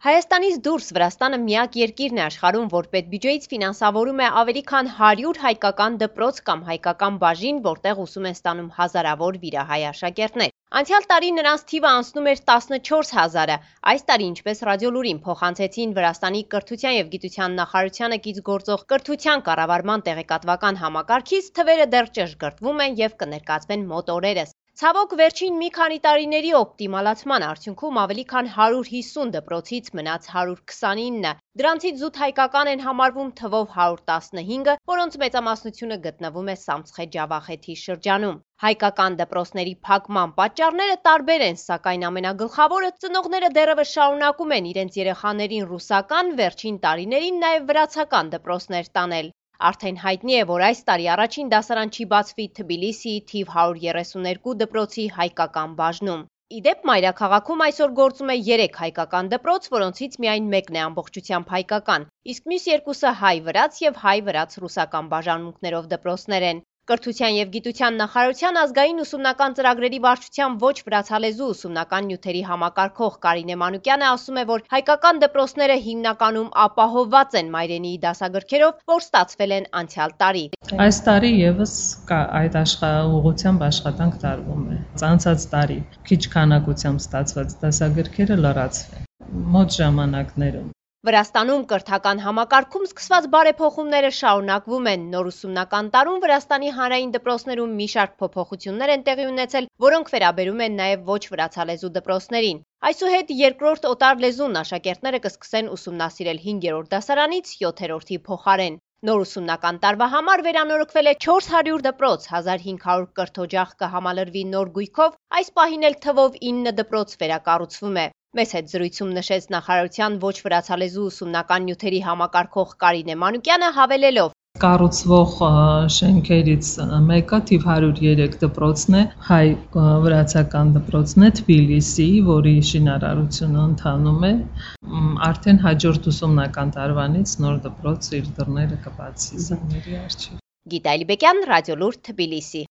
Հայաստանից դուրս Վրաստանը միակ երկիրն է աշխարհում, որ պետբյուջեից ֆինանսավորում է ավելի քան 100 հայկական դպրոց կամ հայկական բաժին, որտեղ ուսում են ստանում հազարավոր վիրահայ աշակերտներ։ Անցյալ տարի նրանց թիվը անցնում էր 14,000-ը։ Այս տարի, ինչպես Ռադիոլուրին փոխանցեցին Վրաստանի կրթության եւ գիտության նախարարությանը կից գործող կրթության կառավարման տեղեկատվական համակարգից, թվերը դեռ ճշգրտվում են եւ կներկայացվեն մոտ օրերս։ Ցավոք, վերջին մի քանի տարիների օպտիմալացման արդյունքում ավելի քան 150 դպրոցից մնաց 129-ը։ Դրանցից զուտ հայկական են համարվում թվով 115-ը, որոնց մեծամասնությունը գտնվում է Սամցխե-Ջավախեթի շրջանում։ Հայկական դպրոցների փակման պատճառները տարբեր են, սակայն ամենագլխավորը ծնողները դեռևս շարունակում են իրենց երեխաներին ռուսական, վերջին տարիներին նաև վրացական դպրոցներ տանել։ Արդեն հայտնի է, որ այս տարի առաջին դասարան չի բացվի Թբիլիսիի թիվ 132 դպրոցի հայկական բաժնում։ Իդեպ մայրաքաղաքում այսօր գործում է 3 հայկական դպրոց, որոնցից միայն մեկն է ամբողջությամբ հայկական, իսկ մյուս երկուսը հայ-վրաց եւ հայ-վրաց-ռուսական բաժանմունքներով դպրոցներ են։ Կրթության եւ գիտության նախարարության ազգային ուսումնական ծրագրերի վարչության ոչ վրացալեզու ուսումնական նյութերի համակարգող Կարինե Մանուկյանը ասում է, որ հայկական դպրոցները հիմնականում ապահովված են մայրենիի դասագրքերով, որ ստացվել են անցյալ տարի։ Այս տարի եւս այդ ուղղությամբ աշխատանք տարվում է։ Անցած տարի քիչ քանակությամբ ստացված դասագրքերը լրացվեն մոտ ժամանակներում։ Վրաստանում կրթական համակարգում սկսված բարեփոխումները շարունակվում են։ Նոր ուսումնական տարում Վրաստանի հանրային դպրոցներում մի շարք փոփոխություններ են տեղի ունեցել, որոնք վերաբերում են նաև ոչ վրացալեզու դպրոցներին։ Այսուհետ երկրորդ օտար լեզուն աշակերտները կսկսեն ուսումնասիրել 5-րդ դասարանից 7-րդի փոխարեն։ Նոր ուսումնական տարվա համար վերանորոգվել է 400 դպրոց, 1500 կրթօջախ կհամալրվի նոր գույքով, այս պահին էլ թվով 9 դպրոց վերակառուցվում է։ Մեզ հետ զրույցում նշեց նախարարության ոչ վրացալեզու ուսումնական նյութերի համակարգող Կարինե Մանուկյանը հավելելով. Կառուցվող շենքերից մեկը թիվ 103 դպրոցն է, հայ-վրացական դպրոցն է Թբիլիսիի, որի շինարարությունը ընթանում է։ Արդեն հաջորդ ուսումնական տարվանից նոր դպրոց իր դռները կբացի զավակների առջև։ Գիտա Ալիբեկյան, Ռադիոլուր, Թբիլիսի։